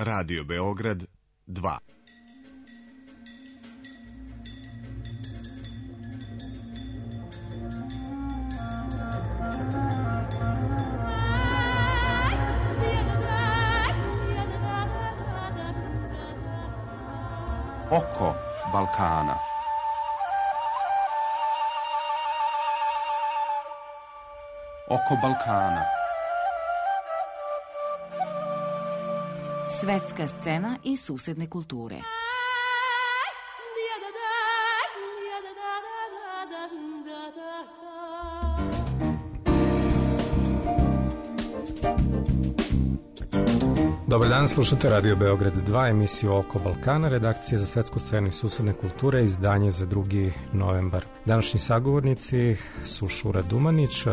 Radio Beograd 2. Oko Balkana. Oko Balkana. Svetska scena i susedne kulture. Dobar dan, slušate Radio Beograd 2, emisiju Oko Balkana, redakcija za svetsku scenu i susedne kulture, izdanje za 2. novembar. Današnji sagovornici su Šura Dumanić,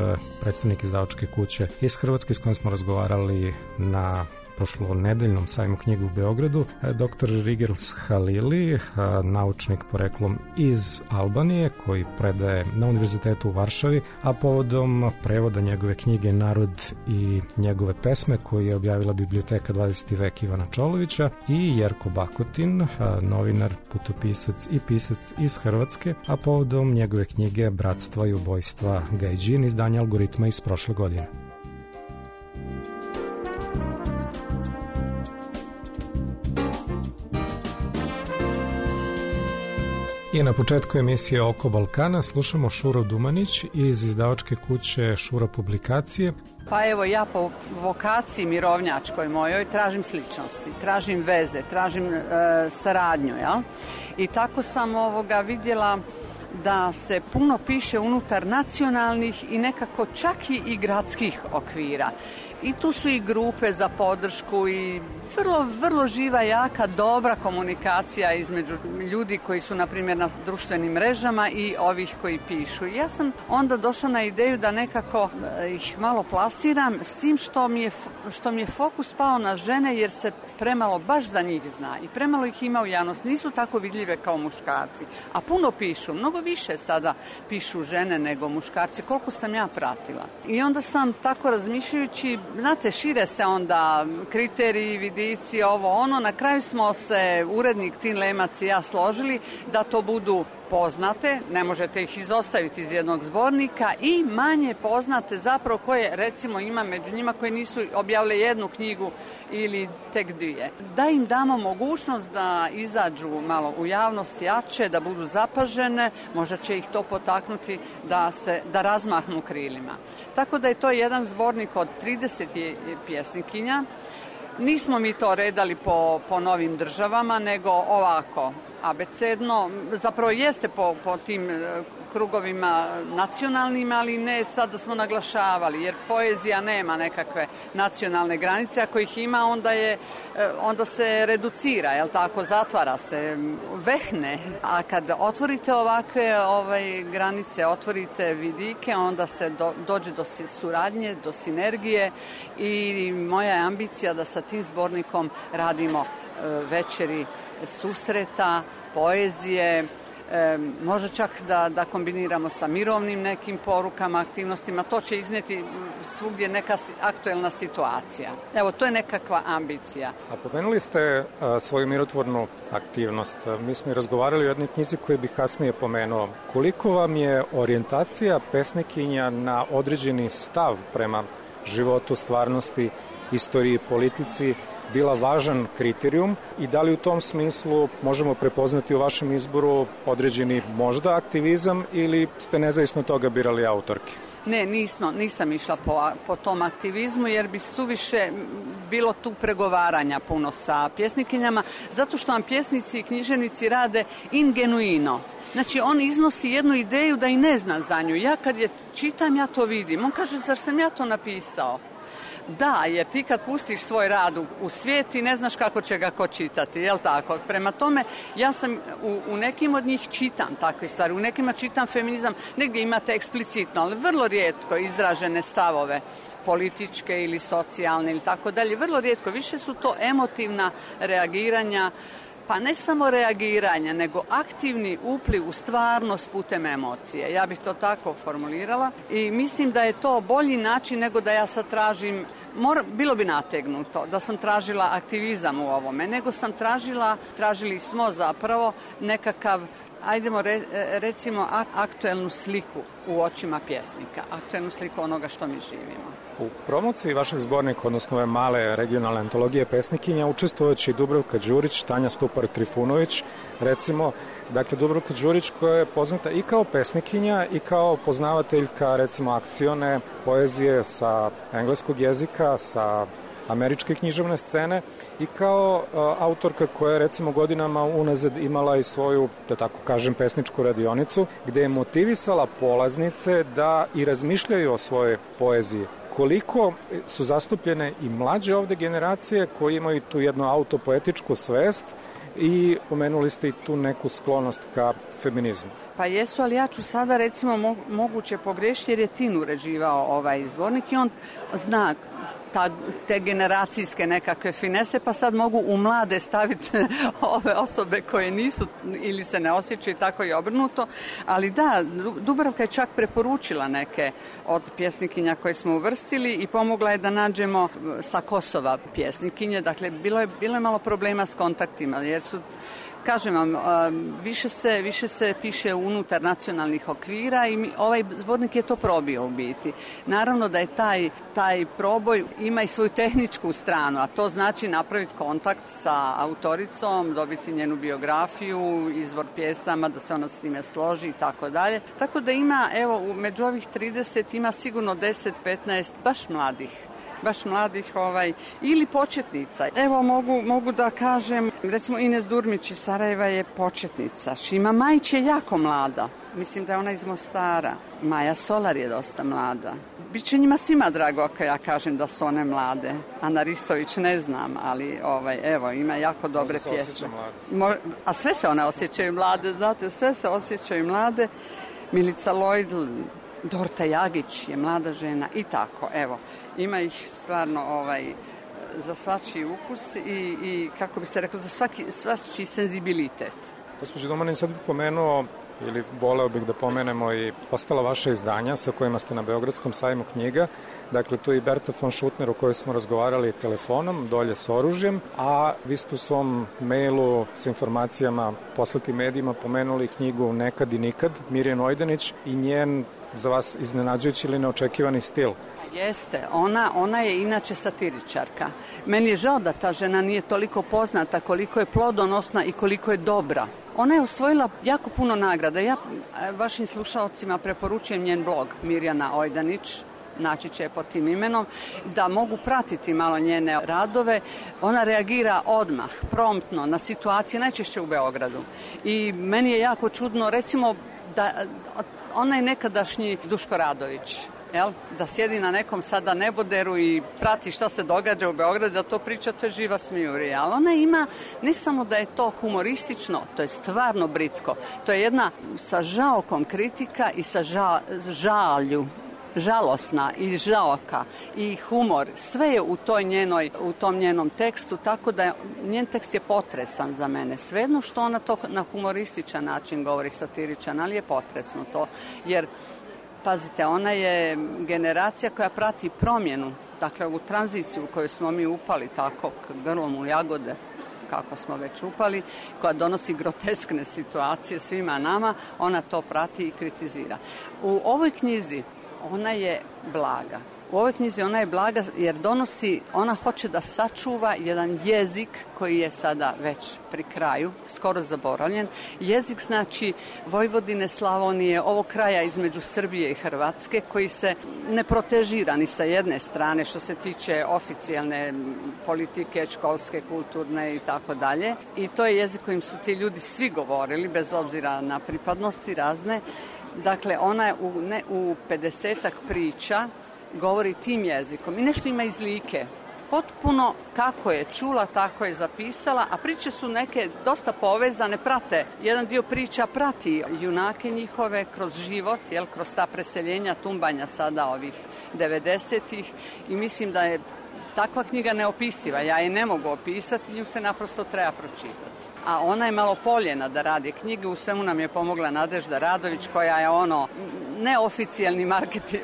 predstavnik izdavačke kuće iz Hrvatske s kojim smo razgovarali na prošlonedeljnom sajmu knjige u Beogradu, dr. Rigels Halili, naučnik poreklom iz Albanije koji predaje na Univerzitetu u Varšavi, a povodom prevoda njegove knjige Narod i njegove pesme koju je objavila biblioteka 20. vek Ivana Čolovića, i Jerko Bakotin, novinar, putopisac i pisac iz Hrvatske, a povodom njegove knjige Bratstva i ubojstva Gajdžin, izdanja Algoritma iz prošle godine. I na početku emisije Oko Balkana slušamo Šuru Dumanić iz izdavačke kuće Šura publikacije. Pa evo, ja po vokaciji mirovnjačkoj mojoj tražim sličnosti, tražim veze, tražim saradnju, jel? I tako sam vidjela da se puno piše unutar nacionalnih i nekako čak i gradskih okvira. I tu su i grupe za podršku i vrlo živa, jaka, dobra komunikacija između ljudi koji su, na primjer, na društvenim mrežama i ovih koji pišu. Ja sam onda došla na ideju da nekako ih malo plasiram s tim što mi je fokus pao na žene, jer se premalo baš za njih zna i premalo ih ima u javnosti. Nisu tako vidljive kao muškarci, a puno pišu, mnogo više sada pišu žene nego muškarci, koliko sam ja pratila. I onda sam tako razmišljajući, znate, šire se onda kriteriji, vidici, ovo ono. Na kraju smo se urednik Tin Lemac i ja složili da to budu poznate, ne možete ih izostaviti iz jednog zbornika, i manje poznate zapravo koje, recimo, ima među njima koji nisu objavile jednu knjigu ili tek 2. Da im damo mogućnost da izađu malo u javnost jače, da budu zapažene, možda će ih to potaknuti da razmahnu krilima. Tako da je to jedan zbornik od 30 pjesnikinja. Nismo mi to redali po novim državama, nego ovako, abecedno, zapravo jeste po tim krugovima nacionalnim, ali ne sad da smo naglašavali, jer poezija nema nekakve nacionalne granice. Ako ih ima, onda se reducira, jel tako, zatvara se, vehne. A kad otvorite ovakve granice, otvorite vidike, onda se dođe do suradnje, do sinergije, i moja je ambicija da sa tim zbornikom radimo večeri susreta, poezije, možda čak da kombiniramo sa mirovnim nekim porukama, aktivnostima. To će iznijeti svugdje neka aktuelna situacija. Evo, to je nekakva ambicija. A pomenuli ste svoju mirotvornu aktivnost. Mi smo i razgovarali o jednoj knjizi koju bih kasnije pomenuo. Koliko vam je orijentacija pesnikinja na određeni stav prema životu, stvarnosti, istoriji, politici bila važan kriterijum, i da li u tom smislu možemo prepoznati u vašem izboru određeni možda aktivizam, ili ste nezavisno toga birali autorke? Ne, nisam išla po tom aktivizmu, jer bi suviše bilo tu pregovaranja puno sa pjesnikinjama, zato što vam pjesnici i književnici rade ingenuino. Znači, on iznosi jednu ideju da i ne zna za nju. Ja kad je čitam, ja to vidim. On kaže, zar sam ja to napisao? Da, jer ti kad pustiš svoj rad u svijet, ti ne znaš kako će ga ko čitati, jel tako? Prema tome, ja sam u nekim od njih čitam takve stvari, u nekima čitam feminizam, negdje imate eksplicitno, ali vrlo rijetko izražene stavove političke ili socijalne ili tako dalje, vrlo rijetko. Više su to emotivna reagiranja Pa ne samo reagiranje, nego aktivni upliv u stvarnost putem emocije. Ja bih to tako formulirala i mislim da je to bolji način nego da ja sad tražim, bilo bi nategnuto da sam tražila aktivizam u ovome, nego sam tražili smo zapravo nekakav, ajdemo recimo aktuelnu sliku u očima pjesnika, aktuelnu sliku onoga što mi živimo. U promociji vašeg zbornika, odnosno ove male regionalne antologije pesnikinja, učestvovajući Dubravka Đurić, Tanja Stupar-Trifunović, recimo, dakle Dubravka Đurić koja je poznata i kao pesnikinja i kao poznavateljka, recimo, akcione poezije sa engleskog jezika, sa američke književne scene i kao autorka koja je recimo godinama unazad imala i svoju, da tako kažem, pesničku radionicu gde je motivisala polaznice da i razmišljaju o svojoj poeziji. Koliko su zastupljene i mlađe ovde generacije koji imaju tu jednu autopoetičku svest i pomenuli ste i tu neku sklonost ka feminizmu. Pa jesu, ali ja ću sada recimo moguće pogrešiti jer je Tin uređivao ovaj zbornik i on zna te generacijske nekakve finese, pa sad mogu u mlade staviti ove osobe koje nisu ili se ne osjećaju, tako i obrnuto. Ali da, Dubravka je čak preporučila neke od pjesnikinja koje smo uvrstili i pomogla je da nađemo sa Kosova pjesnikinje. Dakle, bilo je malo problema s kontaktima, jer su, kažem vam, više se piše unutar nacionalnih okvira i ovaj zbornik je to probio u biti. Naravno da je taj proboj ima i svoju tehničku stranu, a to znači napraviti kontakt sa autoricom, dobiti njenu biografiju, izbor pjesama, da se ona s time složi i tako dalje. Tako da ima, evo, među ovih 30 ima sigurno 10-15 baš mladih ili početnica. Evo mogu da kažem, recimo Ines Durmić iz Sarajeva je početnica. Šima Majić je jako mlada. Mislim da je ona iz Mostara. Maja Solar je dosta mlada. Biće njima svima drago ako ja kažem da su one mlade. Ana Ristović ne znam, ali evo, ima jako dobre pjesme. A sve se one osjećaju mlade, znate, sve se osjećaju mlade. Milica Lloyd, Dorta Jagić je mlada žena i tako, evo. Ima ih stvarno za svačiji ukus i kako bi se reklo, za svačiji senzibilitet. Gospođo Domanin, sad bih pomenuo ili voleo bih da pomenemo i ostala vaša izdanja sa kojima ste na Beogradskom sajmu knjiga. Dakle, tu je i Berta von Šutner o kojoj smo razgovarali telefonom, dolje s oružjem, a vi ste u svom mailu sa informacijama poslati medijima pomenuli knjigu Nekad i nikad, Mirjane Ojdanić i njen za vas iznenađujući ili neočekivani stil. Jeste, ona je inače satiričarka. Meni je žao da ta žena nije toliko poznata, koliko je plodonosna i koliko je dobra. Ona je osvojila jako puno nagrada. Ja vašim slušalcima preporučujem njen blog Mirjana Ojdanić, naći će je pod tim imenom, da mogu pratiti malo njene radove. Ona reagira odmah, promptno, na situacije, najčešće u Beogradu. I meni je jako čudno, recimo, da ona je nekadašnji Duško Radović, da sjedi na nekom sada neboderu i prati šta se događa u Beogradu, da to priča, to je živa smijurija. Ali ona ima, ne samo da je to humoristično, to je stvarno britko. To je jedna sa žaokom kritika i sa žalju, žalosna i žaoka i humor. Sve je u tom njenom tekstu, tako da njen tekst je potresan za mene. Svejedno što ona to na humorističan način govori, satiričan, ali je potresno to, jer pazite, ona je generacija koja prati promjenu, dakle ovu tranziciju u kojoj smo mi upali tako grlom u jagode, kako smo već upali, koja donosi groteskne situacije svima nama, ona to prati i kritizira. U ovoj knjizi ona je blaga. U ovoj knjizi ona je blaga jer ona hoće da sačuva jedan jezik koji je sada već pri kraju, skoro zaboravljen. Jezik znači Vojvodine, Slavonije, ovog kraja između Srbije i Hrvatske, koji se ne protežira ni sa jedne strane što se tiče oficijalne politike, školske, kulturne i tako dalje. I to je jezik kojim su ti ljudi svi govorili, bez obzira na pripadnosti razne. Dakle, ona je u 50-ak priča govori tim jezikom i nešto ima iz Like. Potpuno kako je čula, tako je zapisala, a priče su neke dosta povezane, prate. Jedan dio priča prati junake njihove kroz život, kroz ta preseljenja, tumbanja sada ovih 90-ih i mislim da je takva knjiga neopisiva, ja je ne mogu opisati, nju se naprosto treba pročitati. A ona je malo poljena da radi knjige, u svemu nam je pomogla Nadežda Radović koja je neoficijalni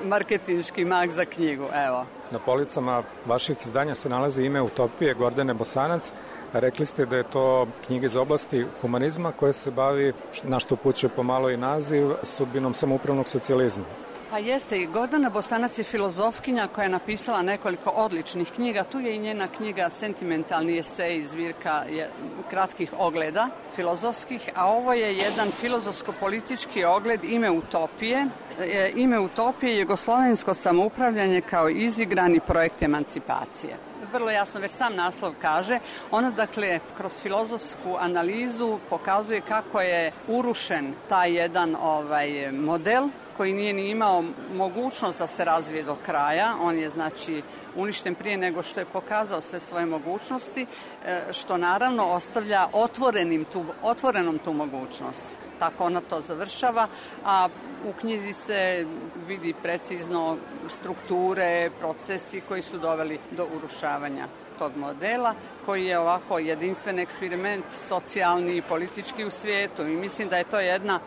marketinški mag za knjigu, evo. Na policama vaših izdanja se nalazi ime Utopije Gordane Bosanac. Rekli ste da je to knjiga iz oblasti humanizma koja se bavi, na što upućuje pomalo i naziv, sudbinom samoupravnog socijalizma. Pa jeste, i Gordana Bosanac je filozofkinja koja je napisala nekoliko odličnih knjiga. Tu je i njena knjiga Sentimentalni esej, zbirka kratkih ogleda filozofskih, a ovo je jedan filozofsko-politički ogled Ime utopije. Ime utopije je jugoslovensko samoupravljanje kao izigrani projekt emancipacije. Vrlo jasno, već sam naslov kaže, ona dakle kroz filozofsku analizu pokazuje kako je urušen taj jedan model koji nije ni imao mogućnost da se razvije do kraja. On je znači uništen prije nego što je pokazao sve svoje mogućnosti, što naravno ostavlja otvorenom tu mogućnost. Tako ona to završava, a u knjizi se vidi precizno strukture, procesi koji su doveli do urušavanja tog modela, koji je ovako jedinstven eksperiment socijalni i politički u svijetu. I mislim da je to jedna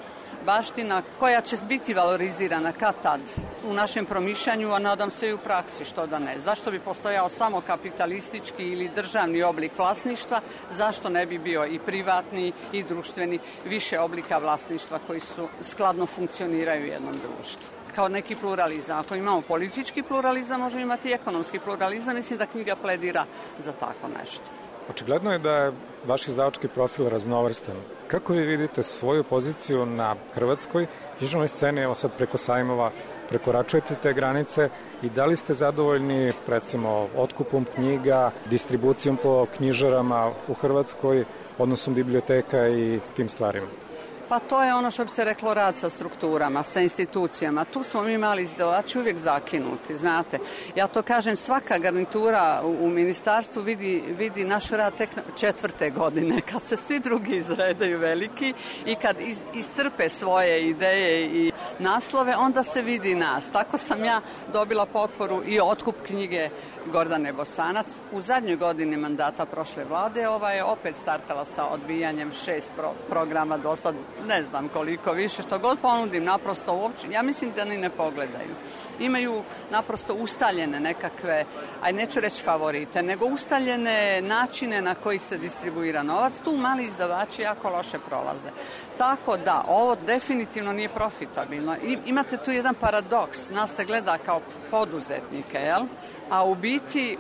baština koja će biti valorizirana kad tad u našem promišljanju, a nadam se i u praksi, što da ne. Zašto bi postojao samo kapitalistički ili državni oblik vlasništva, zašto ne bi bio i privatni i društveni, više oblika vlasništva koji su skladno funkcioniraju u jednom društvu. Kao neki pluralizam. Ako imamo politički pluralizam, možemo imati i ekonomski pluralizam. Mislim da knjiga pledira za tako nešto. Očigledno je da je vaš izdavački profil raznovrstan. Kako vi vidite svoju poziciju na hrvatskoj književnoj sceni, evo sad preko sajmova, prekoračujete te granice i da li ste zadovoljni recimo otkupom knjiga, distribucijom po knjižarama u Hrvatskoj, odnosom biblioteka i tim stvarima? Pa to je ono što bi se reklo rad sa strukturama, sa institucijama. Tu smo mi mali izdavači uvijek zakinuti, znate. Ja to kažem, svaka garnitura u ministarstvu vidi naš rad tek 4. godine, kad se svi drugi izredaju veliki i kad iscrpe svoje ideje i naslove, onda se vidi nas. Tako sam ja dobila potporu i otkup knjige Gordane Bosanac. U zadnjoj godini mandata prošle vlade ova je opet startala sa odbijanjem 6 programa, dosta ne znam koliko više, što god ponudim, naprosto uopće, ja mislim da ni ne pogledaju. Imaju naprosto ustaljene nekakve, neću reći favorite, nego ustaljene načine na koji se distribuira novac. Tu mali izdavači jako loše prolaze. Tako da, ovo definitivno nije profitabilno. Imate tu jedan paradoks, nas se gleda kao poduzetnike, jel? A u biti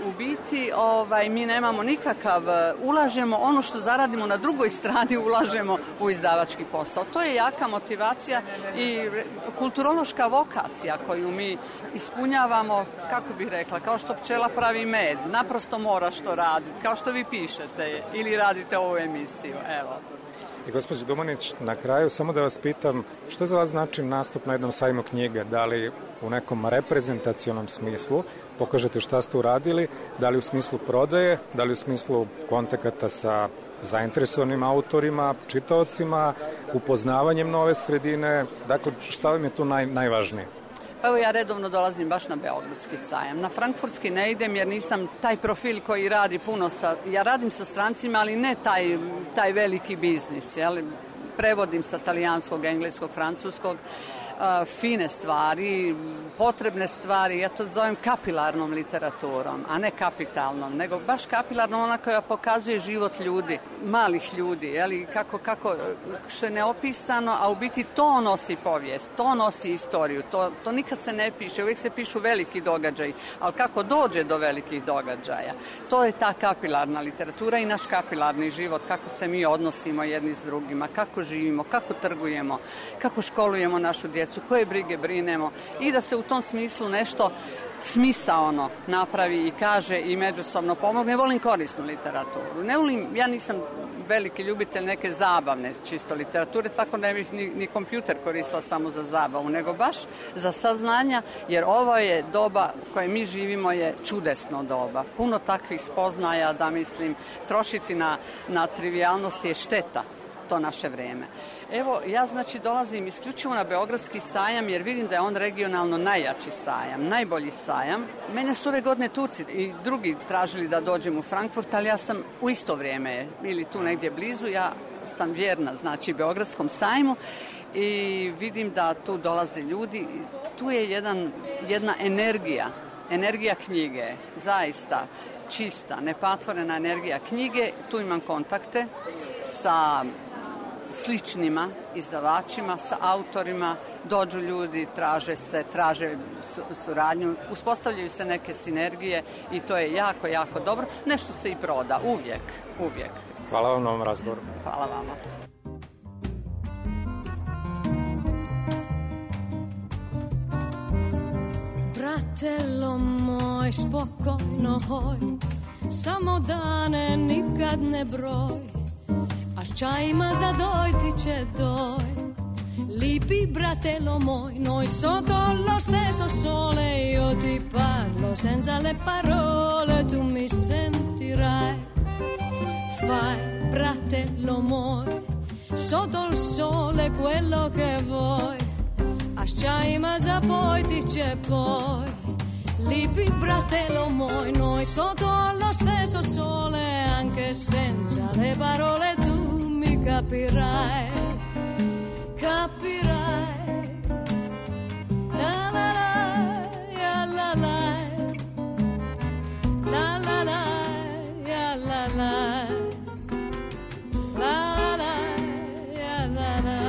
mi nemamo nikakav, ulažemo ono što zaradimo na drugoj strani, ulažemo u izdavački posao. To je jaka motivacija i kulturološka vokacija koju mi ispunjavamo, kako bih rekla, kao što pčela pravi med, naprosto moraš to raditi, kao što vi pišete ili radite ovu emisiju, evo. I gospođo Dumanić, na kraju samo da vas pitam, što za vas znači nastup na jednom sajmu knjige? Da li u nekom reprezentacionom smislu pokažete šta ste uradili, da li u smislu prodaje, da li u smislu kontakata sa zainteresovanim autorima, čitaocima, upoznavanjem nove sredine, dakle šta vam je tu najvažnije? Evo ja redovno dolazim baš na Beogradski sajam. Na Frankfurtski ne idem jer nisam taj profil koji radi puno ja radim sa strancima, ali ne taj veliki biznis. Jel? Prevodim sa talijanskog, engleskog, francuskog, fine stvari, potrebne stvari, ja to zovem kapilarnom literaturom, a ne kapitalnom, nego baš kapilarnom, ona koja pokazuje život ljudi, malih ljudi, jeli, kako što je neopisano, a u biti to nosi povijest, to nosi istoriju, to nikad se ne piše, uvijek se pišu veliki događaji, ali kako dođe do velikih događaja, to je ta kapilarna literatura i naš kapilarni život, kako se mi odnosimo jedni s drugima, kako živimo, kako trgujemo, kako školujemo našu djecu, koje brige brinemo i da se u tom smislu nešto smisaono napravi i kaže i međusobno pomogne. Ne volim korisnu literaturu. Ja nisam veliki ljubitelj neke zabavne čisto literature, tako ne bih ni kompjuter koristila samo za zabavu, nego baš za saznanja, jer ovo je doba koje mi živimo je čudesno doba. Puno takvih spoznaja da mislim trošiti na trivijalnosti je šteta to naše vrijeme. Evo, ja znači dolazim isključivo na Beogradski sajam jer vidim da je on regionalno najjači sajam, najbolji sajam. Mene su ove godine Turci i drugi tražili da dođem u Frankfurt, ali ja sam u isto vrijeme ili tu negdje blizu, ja sam vjerna znači Beogradskom sajmu i vidim da tu dolaze ljudi. Tu je jedna energija knjige, zaista čista, nepatvorena energija knjige. Tu imam kontakte sa sličnima izdavačima, sa autorima, dođu ljudi, traže suradnju, uspostavljaju se neke sinergije i to je jako, jako dobro. Nešto se i proda, uvijek. Hvala vam na ovom razgovoru. Hvala vama. Bratello moj, spokojno hoj, samo dane nikad ne broj, a čajima za doj ti će doj. Lipi bratello moj, noi sotto lo stesso sole, io ti parlo senza le parole, tu mi sentirai. Fai, bratello moj, sotto il sole quello che vuoi, asciaima za poi ti c'è poi. Lipi bratello moj, noi sotto lo stesso sole, anche senza le parole tu mi capirai, capirai. La la la, ya la la, la la la, ya la la, la la, ya la la.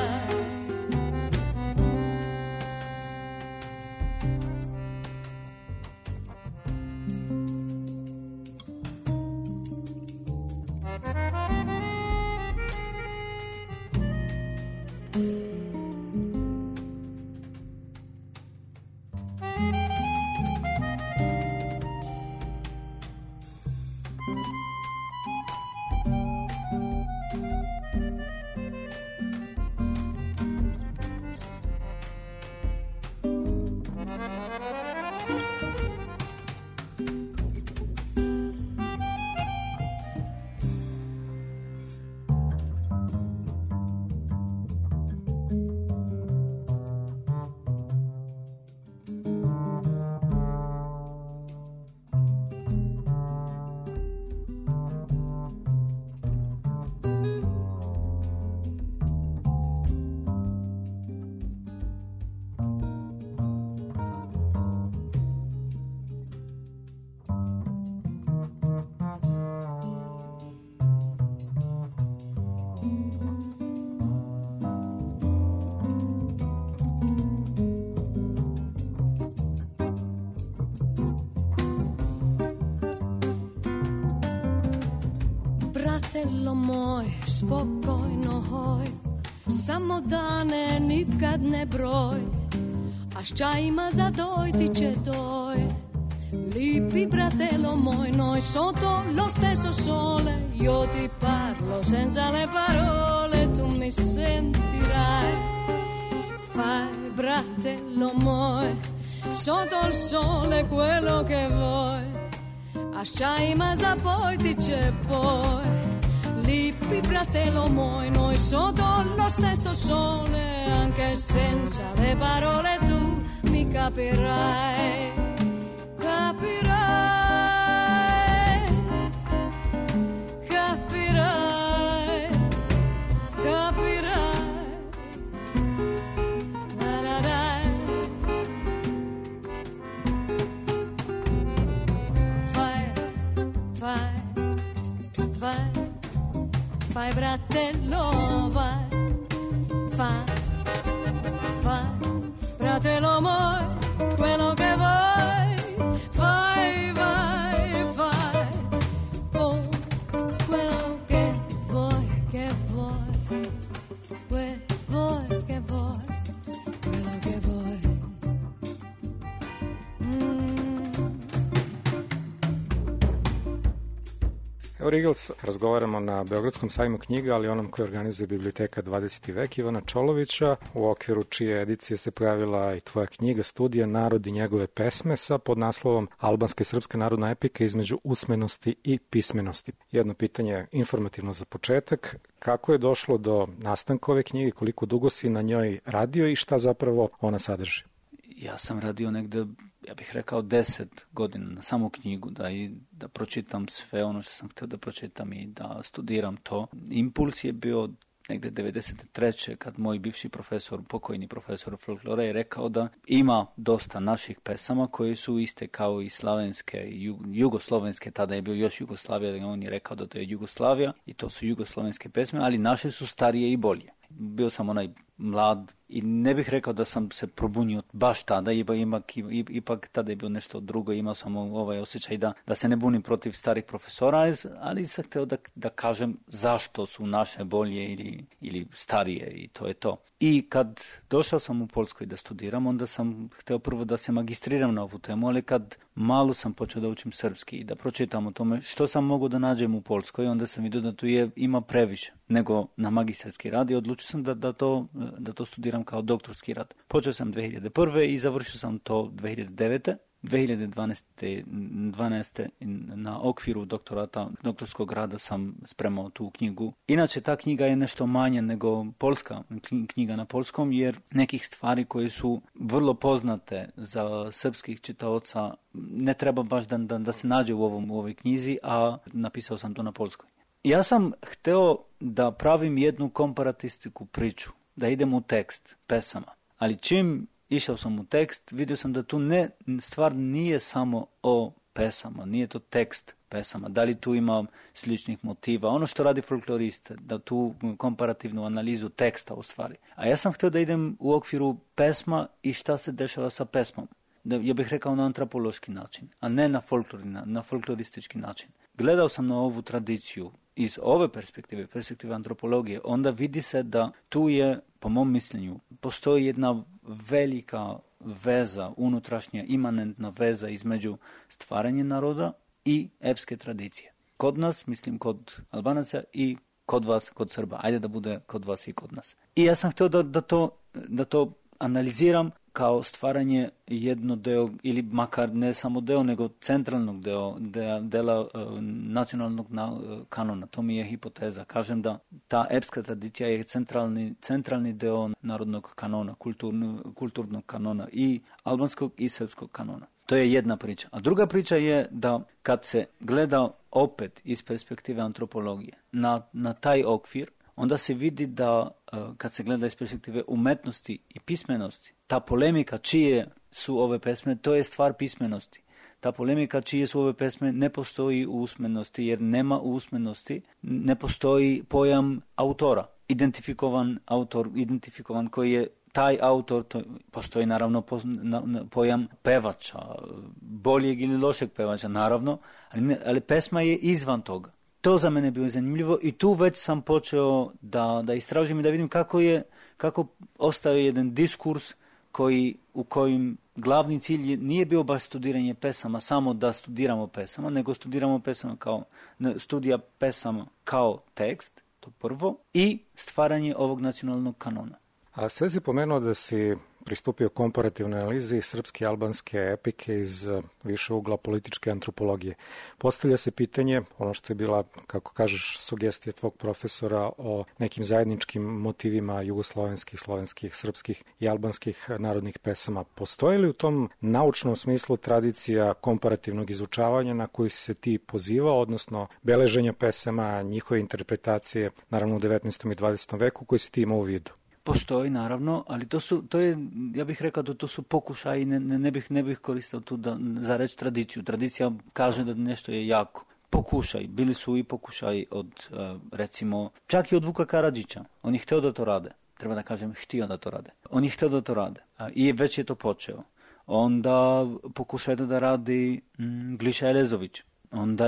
Bratello moj, spokojno hoj, samo dane nikad ne broj, a s čajima za doj ti će doj. Lipi bratello moj, noi sotto lo stesso sole, io ti parlo senza le parole, tu mi sentirai. Fai bratello moj, sotto il sole quello che vuoi, asciaima za poi ti c'è poi. Lipi bratello moj, noi sotto lo stesso sole, anche senza le parole tu mi capirai, capirai, capirai, capirai. Fai bratello, vai, fai, bratello moj, quello che vuoi, fai, oh, quello che vuoi, quello che vuoi. Evo Rigels, razgovaramo na Beogradskom sajmu knjiga, ali onom koji organizuje Biblioteka 20. vek Ivana Čolovića, u okviru čije edicije se pojavila i tvoja knjiga, studija Narod i njegove pesme sa podnaslovom Albanska i srpska narodna epika između usmenosti i pismenosti. Jedno pitanje informativno za početak, kako je došlo do nastanka ove knjige, koliko dugo si na njoj radio i šta zapravo ona sadrži? Ja sam radio negde, ja bih rekao 10 godina na samu knjigu, da pročitam sve ono što sam htio da pročitam i da studiram to. Impuls je bio negde 93. kad moj bivši profesor, pokojni profesor folklora je rekao da ima dosta naših pesama koje su iste kao i slavenske i jugoslovenske, tada je bio još Jugoslavija, on je rekao da to je Jugoslavija i to su jugoslovenske pesme, ali naše su starije i bolje. Bio sam onaj mlad i ne bih rekao da sam se probunio baš tada, ipak tada je bilo nešto drugo, imao sam ovaj osjećaj da se ne bunim protiv starih profesora, ali sam htio da kažem zašto su naše bolje ili starije i to je to. I kad došao sam u Poljskoj da studiram, onda sam htio prvo da se magistriram na ovu temu, ali kad malo sam počeo da učim srpski i da pročitam o tome što sam mogao da nađem u Poljskoj, onda sam vidio da tu ima previše nego na magistarski rad i odlučio sam da to studiram kao doktorski rad. Počeo sam 2001. i završio sam to 2009. 2012. na okviru doktorskog rada sam spremao tu knjigu. Inače, ta knjiga je nešto manja nego poljska knjiga na polskom, jer nekih stvari koje su vrlo poznate za srpskih čitaoca ne treba baš da se nađe u ovoj knjizi, a napisao sam to na polskoj. Ja sam hteo da pravim jednu komparatistiku priču, da idem u tekst pesama, ali čim išao sam u tekst, vidio sam da tu stvar nije samo o pesama, nije to tekst pesama, da li tu ima sličnih motiva, ono što radi folklorist, da tu komparativnu analizu teksta u stvari. A ja sam htio da idem u okviru pesma i šta se dešava sa pesmom. Ja bih rekao na antropološki način, a ne na folkloristički način. Gledao sam na ovu tradiciju iz ove perspektive antropologije, onda vidi se da tu je, po mom mišljenju, postoji jedna velika veza, unutrašnja, imanentna veza između stvaranja naroda i epske tradicije. Kod nas, mislim kod Albanaca i kod vas, kod Srba. Ajde da bude kod vas i kod nas. I ja sam htio da to analiziram kao stvaranje jedno deo, ili makar ne samo deo, nego centralnog dela nacionalnog kanona. To mi je hipoteza. Kažem da ta epska tradicija je centralni deo narodnog kanona, kulturnog kanona i albanskog i srpskog kanona. To je jedna priča. A druga priča je da kad se gleda opet iz perspektive antropologije na taj okvir, onda se vidi da kad se gleda iz perspektive umetnosti i pismenosti, ta polemika čije su ove pesme, to je stvar pismenosti. Ta polemika čije su ove pesme ne postoji u usmenosti, jer nema u usmenosti, ne postoji pojam autora. Identifikovan koji je taj autor, postoji naravno pojam pevača, boljeg ili lošeg pevača, naravno, ali pesma je izvan toga. To za mene bilo zanimljivo i tu već sam počeo da istražim i da vidim kako ostaje jedan diskurs u kojim glavni cilj nije bio baš studiranje pesama, samo da studiramo pesama, nego studiramo pesama studija pesama kao tekst, to prvo, i stvaranje ovog nacionalnog kanona. A sve si pomenuo da si pristupio komparativnoj analizi srpske i albanske epike iz više ugla političke antropologije. Postavlja se pitanje, ono što je bila, kako kažeš, sugestija tvog profesora o nekim zajedničkim motivima jugoslovenskih, slovenskih, srpskih i albanskih narodnih pesama. Postoji li u tom naučnom smislu tradicija komparativnog izučavanja na koju se ti pozivao, odnosno beleženja pesama, njihove interpretacije, naravno u 19. i 20. veku, koji si ti imao u vidu? Postoji, naravno, ali to je, ja bih rekao da to su pokušaji, ne bih koristio tu za reći tradiciju. Tradicija kaže da nešto je jako. Pokušaj, bili su i pokušaji od, recimo, čak i od Vuka Karadžića. On je htio da to rade. Treba da kažem, htio da to rade. On je htio da to rade. I već je to počeo. Onda pokušaj da radi Gliša Elezović. Onda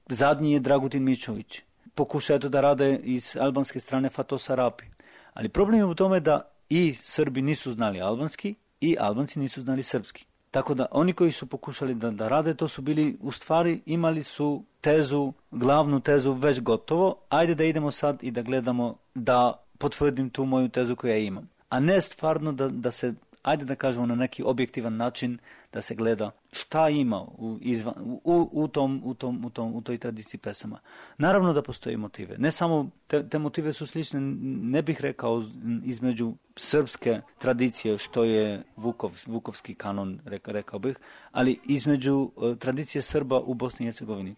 zadnji je Dragutin Mičović. Pokušaj da rade iz albanske strane Fatosa Rapi. Ali problem je u tome da i Srbi nisu znali albanski i Albanci nisu znali srpski. Tako da oni koji su pokušali da rade, to su bili, u stvari imali su tezu, glavnu tezu već gotovo, ajde da idemo sad i da gledamo da potvrdim tu moju tezu koju ja imam. A ne stvarno da se, ajde da kažemo na neki objektivan način, da se gleda šta ima u toj tradiciji pesama. Naravno da postoje motive. Ne samo, te motive su slične, ne bih rekao između srpske tradicije, što je vukovski kanon, rekao bih, ali između tradicije Srba u Bosni i Hercegovini.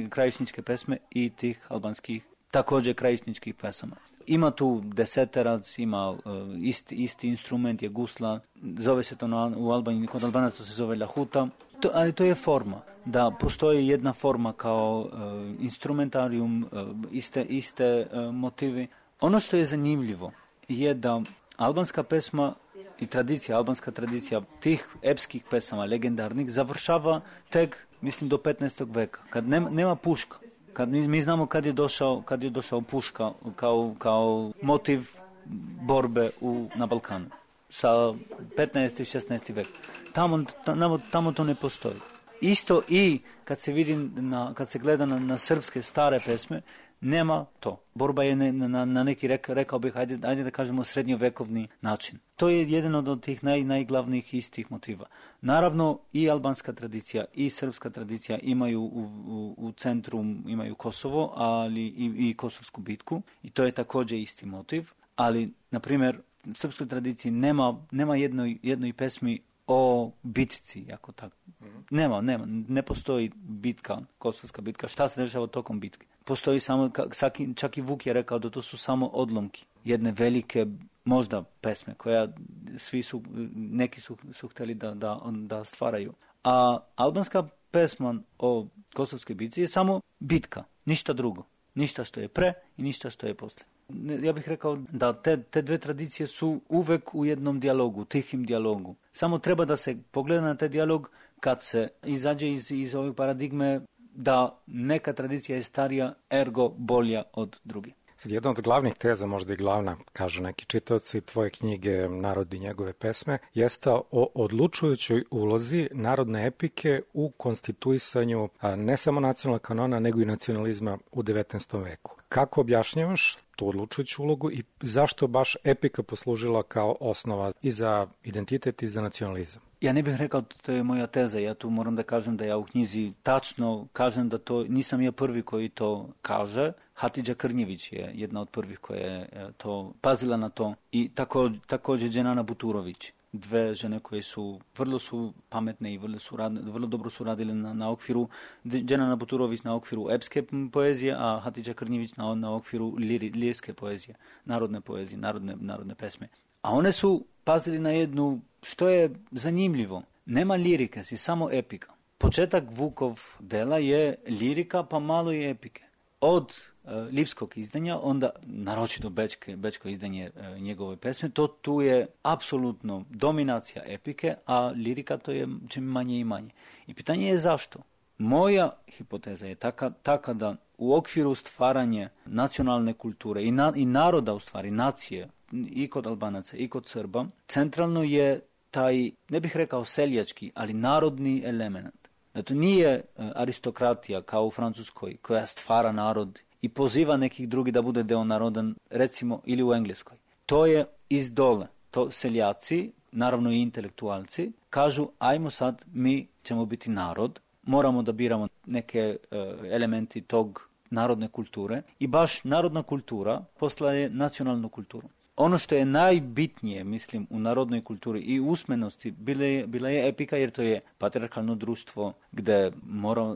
Krajišničke pesme i tih albanskih, također krajišničkih pesama. Ima tu deseterac, ima isti instrument, je gusla, zove se to u Albaniji, kod Albanaca to se zove lahuta, ali to je forma, da postoji jedna forma kao instrumentarium, iste motivi. Ono što je zanimljivo je da albanska pesma i albanska tradicija tih epskih pesama, legendarnih, završava tek, mislim, do 15. veka, kad nema puška. Kad mi znamo kad je došao puška kao motiv borbe na Balkanu sa 15. i 16. vek. Tamo to ne postoji. Isto i kad se gleda na srpske stare pesme, nema to. Borba je na neki, rekao bih, ajde da kažemo, srednjovekovni način. To je jedan od tih najglavnijih istih motiva. Naravno, i albanska tradicija i srpska tradicija imaju u centru, imaju Kosovo, ali i Kosovsku bitku, i to je također isti motiv. Ali, na primjer, u srpskoj tradiciji nema jednoj pesmi o bitci, jako tako. Ne postoji bitka, Kosovska bitka. Šta se dešava tokom bitke? Postoji samo, čak i Vuk je rekao da to su samo odlomki jedne velike, možda, pesme koja neki su htjeli da stvaraju. A albanska pesma o Kosovskoj bitci je samo bitka, ništa drugo. Ništa što je pre i ništa što je poslije. Ja bih rekao da te dve tradicije su uvek u jednom dijalogu, tihim dijalogu. Samo treba da se pogleda na taj dijalog kad se izađe iz ove paradigme da neka tradicija je starija, ergo bolja od druge. Sad, jedna od glavnih teza, možda i glavna, kažu neki čitaoci tvoje knjige Narod i njegove pesme, jeste o odlučujućoj ulozi narodne epike u konstituisanju ne samo nacionalnog kanona, nego i nacionalizma u 19. veku. Kako objašnjavaš tu odlučujuću ulogu i zašto baš epika poslužila kao osnova i za identitet i za nacionalizam? Ja ne bih rekao da to je moja teza. Ja tu moram da kažem da ja u knjizi tačno kažem da to nisam ja prvi koji to kaže. Hatidža Krnjević je jedna od prvih koja je to pazila na to, i također Dženana Buturović. Dve žene koje vrlo su pametne i vrlo dobro su radile na okviru, Dženana Buturović na okviru epske poezije, a Hatidža Krnjević na okviru lirske poezije, narodne poezije, narodne pesme. A one su pazili na jednu, što je zanimljivo, nema lirike, si samo epika. Početak Vukov dela je lirika, pa malo je epike. Od lipskog izdanja, onda naročito bečko izdanje njegove pesme, tu je apsolutno dominacija epike, a lirika to je čim manje i manje. I pitanje je zašto? Moja hipoteza je taka da u okviru stvaranja nacionalne kulture i naroda, u stvari nacije, i kod Albanaca i kod Srba, centralno je taj, ne bih rekao seljački, ali narodni element. Da to nije aristokratija kao u Francuskoj koja stvara narod i poziva nekih drugi da bude deo naroda, recimo, ili u Engleskoj. To je iz dole. To seljaci, naravno i intelektualci, kažu ajmo sad, mi ćemo biti narod, moramo da biramo neke elementi tog narodne kulture i baš narodna kultura postaje nacionalnu kulturu. Ono što je najbitnije, mislim, u narodnoj kulturi i usmenosti bila je epika, jer to je patrijarhalno društvo gdje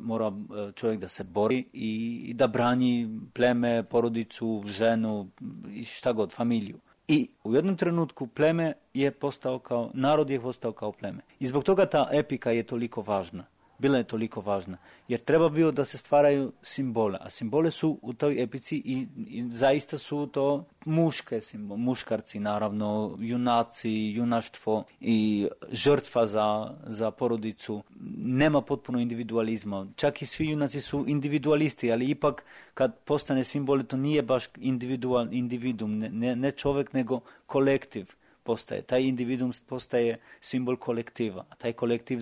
mora čovjek da se bori i da brani pleme, porodicu, ženu i šta god, familiju. I u jednom trenutku narod je postao kao pleme. I zbog toga ta epika je toliko važna. Bila je toliko važna, jer treba bilo da se stvaraju simbole, a simbole su u toj epici i zaista su to muške simbole, muškarci naravno, junaci, junaštvo i žrtva za porodicu. Nema potpuno individualizma, čak i svi junaci su individualisti, ali ipak kad postane simbol, to nije baš individum, ne čovjek nego kolektiv. postaje. Taj individuum postaje simbol kolektiva. A taj kolektiv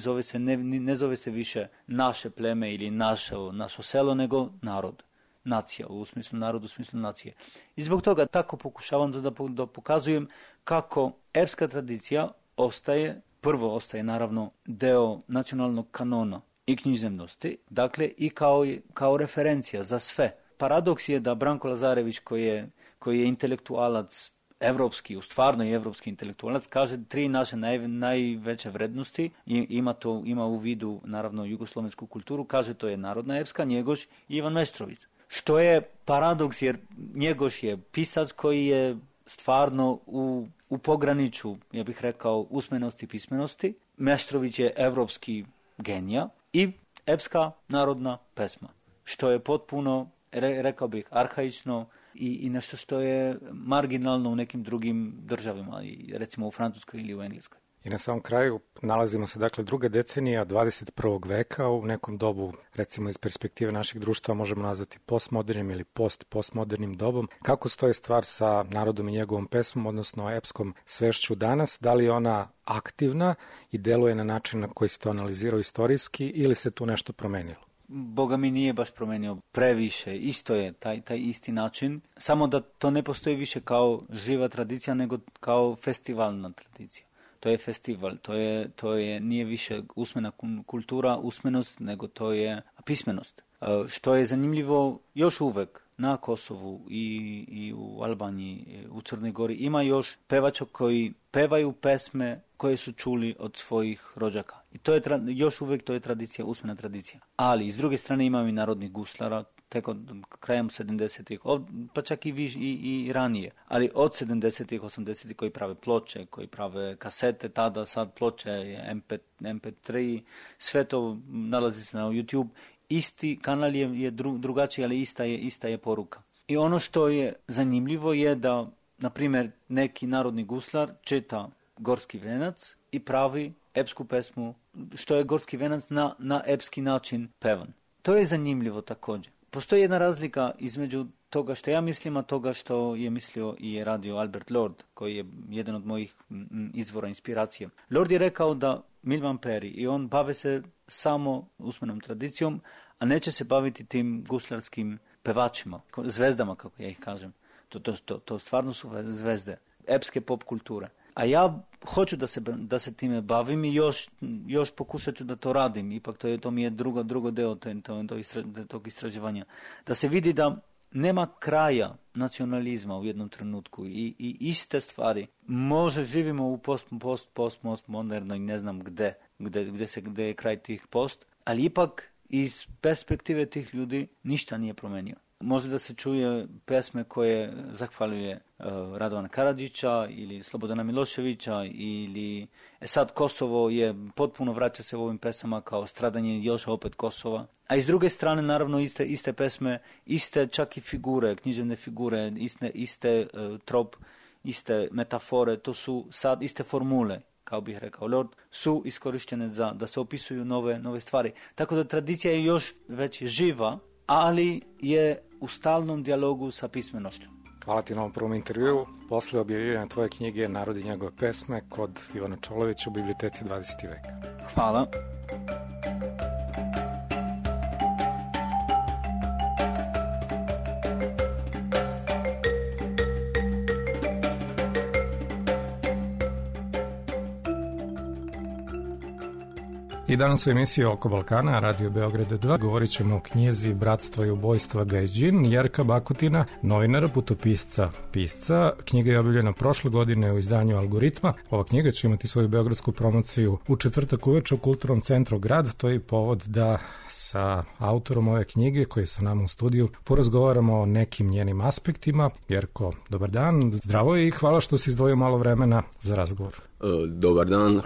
ne zove se više naše pleme ili naše selo, nego narod. Nacija, u smislu narodu, u smislu nacije. I zbog toga tako pokušavam da pokazujem kako epska tradicija prvo ostaje naravno deo nacionalnog kanona i književnosti, dakle i kao referencija za sve. Paradoks je da Branko Lazarević, koji je intelektualac evropski, stvarno je evropski intelektualac, kaže 3 naše najveće vrednosti, ima u vidu naravno jugoslovensku kulturu, kaže to je narodna epska, Njegoš i Ivan Meštrović. Što je paradoks, jer Njegoš je pisac koji je stvarno u pograniču, ja bih rekao, usmenosti i pismenosti. Meštrović je evropski genija i epska narodna pesma, što je potpuno, rekao bih, arhaično i nešto što je marginalno u nekim drugim državama, recimo u Francuskoj ili u Engleskoj. I na samom kraju nalazimo se, dakle, druga decenija 21. veka, u nekom dobu, recimo iz perspektive našeg društva, možemo nazvati postmodernim ili postmodernim dobom. Kako stoji stvar sa narodom i njegovom pesmom, odnosno epskom svešću danas? Da li je ona aktivna i deluje na način na koji se to analizirao istorijski ili se tu nešto promenilo? Boga mi nije baš promenio previše, isto je taj isti način, samo da to ne postoji više kao živa tradicija, nego kao festivalna tradicija. To je festival, nije više usmena kultura, usmenost, nego to je pismenost. Što je zanimljivo još uvek na Kosovu i u Albaniji, u Crnoj Gori, ima još pevača koji pevaju pesme koje su čuli od svojih rođaka. I to je još uvek to je tradicija, usmena tradicija. Ali s druge strane imamo i narodnih guslara, tek od krajem 70-ih, pa čak i ranije. Ali od 70-ih, 80-ih koji prave ploče, koji prave kasete, tada sad ploče, MP3, sve to nalazi se na YouTube. Isti kanal je drugačiji, ali ista je poruka. I ono što je zanimljivo je da, na primjer, neki narodni guslar čita Gorski venac i pravi epsku pesmu, što je Gorski venac na epski način pevan. To je zanimljivo također. Postoji jedna razlika između toga što ja mislim, a toga što je mislio i radio Albert Lord, koji je jedan od mojih izvora inspiracije. Lord je rekao da Milvan Peri i on bave se samo usmenom tradicijom, a neće se baviti tim guslarskim pevačima, zvezdama, kako ja ih kažem. To stvarno su zvezde, epske pop kulture. A ja hoću da se time bavim i još pokušat ću da to radim. Ipak to mi je drugo deo tog istraživanja. Da se vidi da nema kraja nacionalizma u jednom trenutku i iste stvari. Možda živimo u postmodernoj, ne znam gde je kraj tih post, ali ipak iz perspektive tih ljudi ništa nije promenio. Može da se čuje pesme koje zahvaljuje Radovana Karadžića ili Slobodana Miloševića ili sad Kosovo je potpuno vraća se u ovim pesama kao stradanje još opet Kosova. A iz druge strane naravno iste pesme, iste čak i figure, književne figure, iste trop, iste metafore, to su sad iste formule, kao bih rekao Lord, su iskorištene da se opisuju nove stvari. Tako da tradicija je još već živa, ali je u stalnom dijalogu sa pismenošću. Hvala ti na ovom prvom intervjuu. Posle objavljivanja tvoje knjige Narod i njegove pesme kod Ivana Čolovića u biblioteci 20. veka. Hvala. I danas u emisiji Oko Balkana, Radio Beograd 2, govorit ćemo o knjizi Bratstva i ubojstva Gajđin, Jerka Bakutina, novinara, putopisca, pisca. Knjiga je objavljena prošle godine u izdanju Algoritma. Ova knjiga će imati svoju beogradsku promociju u četvrtak uveče u Kulturnom centru Grad. To je povod da sa autorom ove knjige, koji je sa nama u studiju, porazgovaramo o nekim njenim aspektima. Jerko, dobar dan, zdravo i hvala što si izdvojio malo vremena za razgovor. Dobar dan,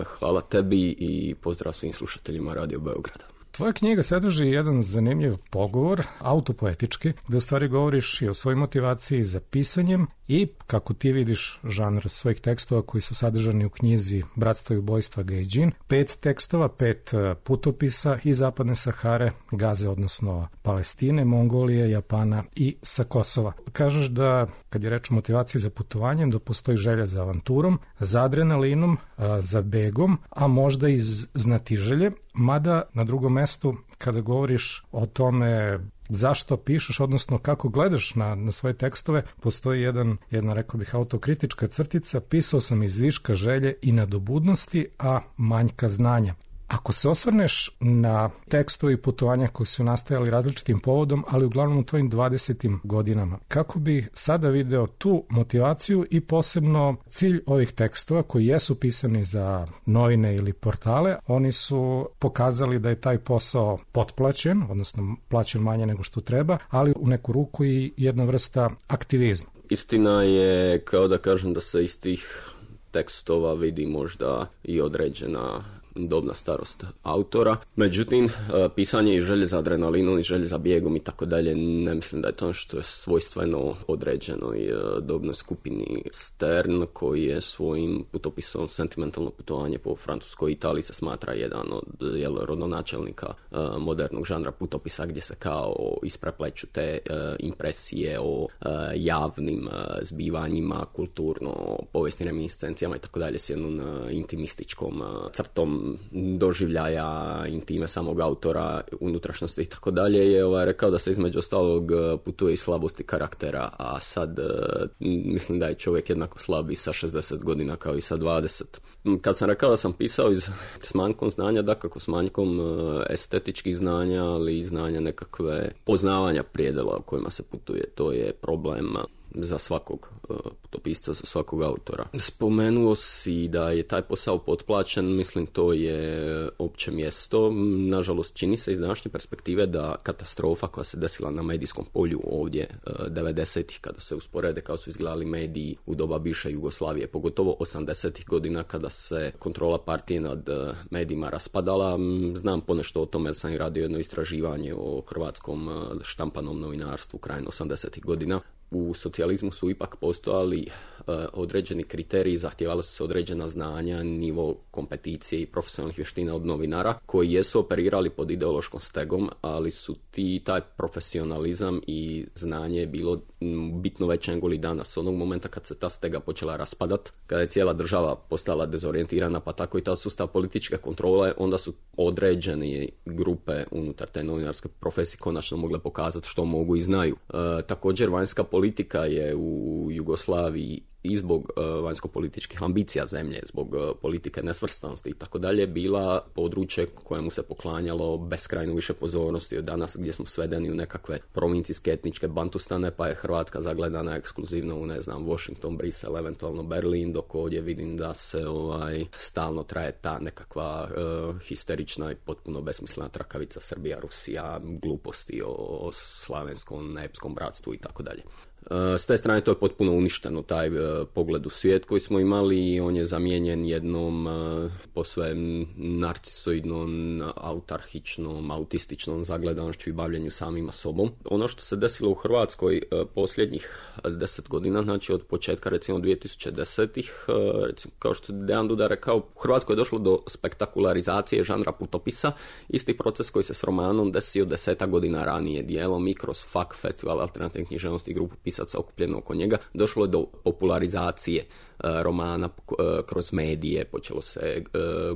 hvala tebi i pozdrav svim slušateljima Radio Beograda. Tvoja knjiga sadrži jedan zanimljiv pogovor, autopoetički, gde u stvari govoriš i o svojoj motivaciji za pisanjem i kako ti vidiš žanr svojih tekstova koji su sadržani u knjizi Bratstvo i ubojstva Gaidžin, 5 tekstova, 5 putopisa iz Zapadne Sahare, Gaze, odnosno Palestine, Mongolije, Japana i sa Kosova. Kažeš da, kad je reč o motivaciji za putovanjem, da postoji želja za avanturom, za adrenalinom, za begom, a možda i znatiželje, mada na drugom mestu, kada govoriš o tome zašto pišeš, odnosno kako gledaš na svoje tekstove, postoji jedna, rekao bih, autokritička crtica: pisao sam iz viška želje i nadobudnosti, a manjka znanja. Ako se osvrneš na tekstove i putovanja koji su nastajali različitim povodom, ali uglavnom u tvojim 20. godinama, kako bi sada video tu motivaciju i posebno cilj ovih tekstova koji jesu pisani za novine ili portale? Oni su pokazali da je taj posao potplaćen, odnosno plaćen manje nego što treba, ali u neku ruku i jedna vrsta aktivizma. Istina je, kao da kažem, da se iz tih tekstova vidi možda i određena dobna starost autora. Međutim, pisanje i želje za adrenalinom i želje za bijegom i tako dalje, ne mislim da je to što je svojstveno određenoj dobnoj skupini. Stern, koji je svojim putopisom Sentimentalno putovanje po Francuskoj i Italiji se smatra jedan od rodonačelnika modernog žanra putopisa, gdje se kao isprepleću te impresije o javnim zbivanjima, kulturno, povijesnim reminiscencijama i tako dalje s jednom intimističkom crtom doživljaja, intime samog autora, unutrašnjosti i tako dalje, je rekao da se između ostalog putuje i slabosti karaktera, a sad mislim da je čovjek jednako slab i sa 60 godina kao i sa 20. Kad sam rekao da sam pisao s manjkom znanja, dakako s manjkom estetičkih znanja, ali i znanja nekakve poznavanja prijedela o kojima se putuje, to je problem za svakog putopisca, za svakog autora. Spomenuo si da je taj posao potplaćen, mislim to je opće mjesto. Nažalost, čini se iz današnje perspektive da katastrofa koja se desila na medijskom polju ovdje 90-ih, kada se usporede kao su izgledali mediji u doba bivše Jugoslavije, pogotovo 80-ih godina kada se kontrola partije nad medijima raspadala. Znam ponešto o tome jer sam i radio jedno istraživanje o hrvatskom štampanom novinarstvu krajem 80-ih godina. U socijalizmu su ipak postojali određeni kriteriji, zahtijevalo su se određena znanja, nivo kompeticije i profesionalnih vještina od novinara koji jesu operirali pod ideološkom stegom, ali su taj profesionalizam i znanje bilo bitno veće nego li danas. Onog momenta kad se ta stega počela raspadat, kada je cijela država postala dezorijentirana, pa tako i ta sustav političke kontrole, onda su određene grupe unutar te novinarske profesije konačno mogle pokazati što mogu i znaju. Također, vanjska politika je u Jugoslaviji i zbog vanjsko-političkih ambicija zemlje, zbog politike nesvrstanosti i tako dalje, bila područje kojemu se poklanjalo beskrajno više pozornosti od danas, gdje smo svedeni u nekakve provincijske etničke bantustane, pa je Hrvatska zagledana ekskluzivno u, Washington, Brisel, eventualno Berlin, dok ovdje vidim da se stalno traje ta nekakva histerična i potpuno besmislena trakavica Srbija, Rusija, gluposti o slavenskom, neepskom bratstvu i tako dalje. S te strane to je potpuno uništeno, taj pogled u svijet koji smo imali, i on je zamijenjen jednom posve narcisoidnom, autarhičnom, autističnom zagledanošću i bavljenju samima sobom. Ono što se desilo u Hrvatskoj posljednjih 10 godina, znači od početka recimo 2010-ih, recimo, kao što je Dejan Duda rekao, u Hrvatskoj je došlo do spektakularizacije žanra putopisa, isti proces koji se s romanom desio 10 godina ranije, dijelom i kroz FAK, Festival alternativne književnosti i grupu pisaca okupljeno oko njega, došlo je do popularizacije romana kroz medije, počelo se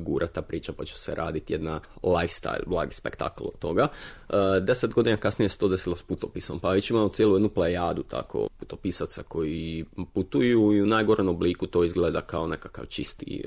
gurata priča, počelo se raditi jedna lifestyle, blagi spektakl od toga. 10 godina kasnije se to desilo s putopisom, pa već imamo cijelu jednu plejadu tako putopisaca koji putuju i u najgorem obliku to izgleda kao nekakav čisti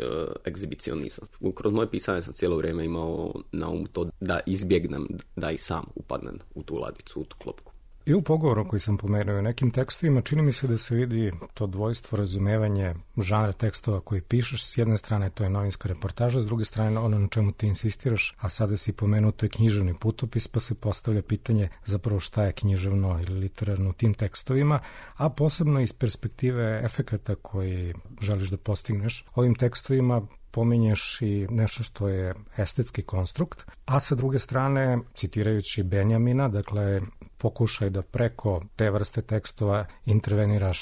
egzibicionizam. Kroz moje pisanje sam cijelo vrijeme imao na umu to da izbjegnem da i sam upadnem u tu ladicu, u tu klopku. I u pogovoru koji sam pomenuo u nekim tekstovima čini mi se da se vidi to dvojstvo, razumevanje žanra tekstova koji pišeš. S jedne strane to je novinska reportaža, s druge strane ono na čemu ti insistiraš, a sada si pomenuo, to je književni putopis, pa se postavlja pitanje zapravo šta je književno ili literarno u tim tekstovima, a posebno iz perspektive efekata koji želiš da postigneš ovim tekstovima. Pominješ i nešto što je estetski konstrukt, a sa druge strane, citirajući Benjamina, dakle, pokušaj da preko te vrste tekstova interveniraš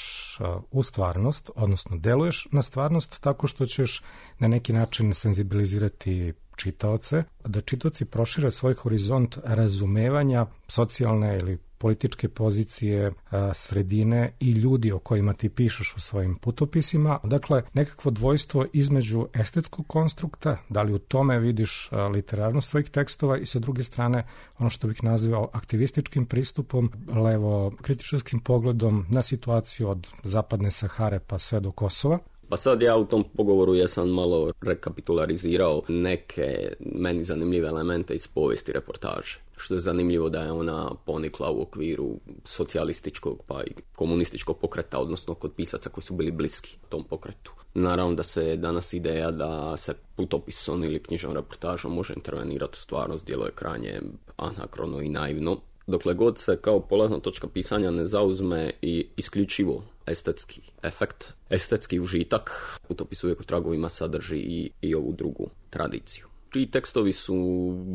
u stvarnost, odnosno deluješ na stvarnost tako što ćeš na neki način senzibilizirati čitaoce, da čitaoci prošire svoj horizont razumevanja socijalne ili političke pozicije, sredine i ljudi o kojima ti pišeš u svojim putopisima. Dakle, nekakvo dvojstvo između estetskog konstrukta, da li u tome vidiš literarnost svojih tekstova i sa druge strane ono što bih nazvao aktivističkim pristupom, levo kritičarskim pogledom na situaciju od zapadne Sahare pa sve do Kosova. Pa sad ja u tom pogovoru jesam malo rekapitularizirao neke meni zanimljive elemente iz povijesti reportaže. Što je zanimljivo da je ona ponikla u okviru socijalističkog pa i komunističkog pokreta, odnosno kod pisaca koji su bili bliski tom pokretu. Naravno da se danas ideja da se putopisom ili knjižnom reportažom može intervenirati u stvarnost djeluje krajnje anakrono i naivno. Dokle god se kao polazna točka pisanja ne zauzme i isključivo estetski efekt, estetski užitak, putopis uvijek u tragovima sadrži i ovu drugu tradiciju. Ti tekstovi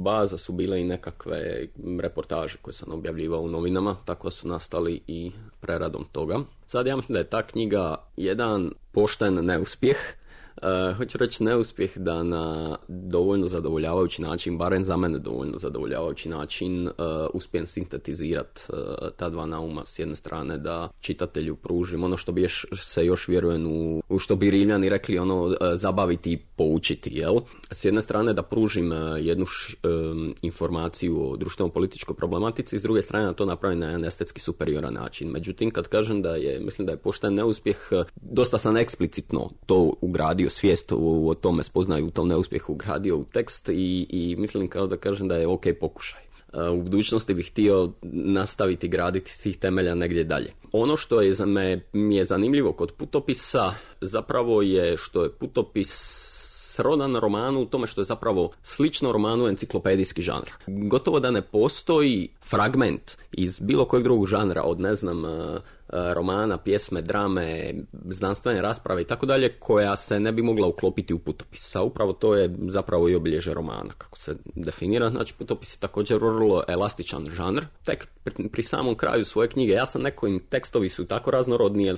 baza su bile i nekakve reportaže koje sam objavljivao u novinama, tako su nastali i preradom toga. Sad ja mislim da je ta knjiga jedan pošten neuspjeh. Hoću reći neuspjeh da na dovoljno zadovoljavajući način, barem za mene dovoljno zadovoljavajući način, uspijem sintetizirati ta dva nauma. S jedne strane da čitatelju pružim ono što bi se još vjerujem u što bi Rimljani rekli, ono zabaviti i poučiti, jel? S jedne strane da pružim jednu informaciju o društveno-političkoj problematici, s druge strane da to napravim na jedan estetski superioran način. Međutim, kad kažem mislim da je pošten neuspjeh, dosta sam eksplicitno to ugradio, svijest o tome spoznaju u tom neuspjehu ugradio u tekst i mislim kao da kažem da je ok pokušaj. U budućnosti bih htio nastaviti graditi s tih temelja negdje dalje. Ono što mi je zanimljivo kod putopisa zapravo je što je putopis rodan romanu u tome što je zapravo slično romanu enciklopedijski žanr. Gotovo da ne postoji fragment iz bilo kojeg drugog žanra, od romana, pjesme, drame, znanstvene rasprave i tako dalje, koja se ne bi mogla uklopiti u putopis. A upravo to je zapravo i obilježje romana, kako se definira. Znači, putopis je također vrlo elastičan žanr. Tek pri samom kraju svoje knjige, ja sam nekojim tekstovi su tako raznorodni, jer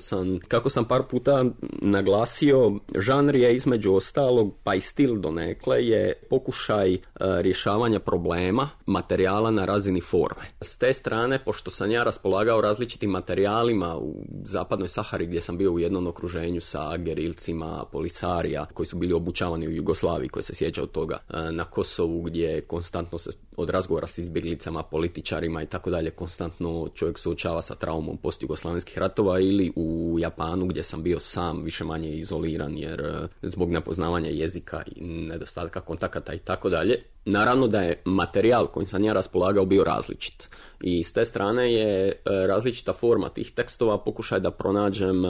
kako sam par puta naglasio, žanr je između ostalog, pa i stil donekle, je pokušaj rješavanja problema, materijala na razini forme. S te strane, pošto sam ja raspolagao različitim materijalima u zapadnoj Sahari, gdje sam bio u jednom okruženju sa gerilcima, polisarija, koji su bili obučavani u Jugoslaviji, koji se sjeća od toga, na Kosovu, gdje konstantno se od razgovora s izbjeglicama, političarima i tako dalje, konstantno čovjek suočava sa traumom postjugoslavenskih ratova, ili u Japanu, gdje sam bio sam više manje izoliran, jer zbog nepoznavanja jezika i nedostatka kontakata i tako dalje. Naravno da je materijal kojim sam ja raspolagao bio različit. I s te strane je različita forma tih tekstova pokušaj da pronađem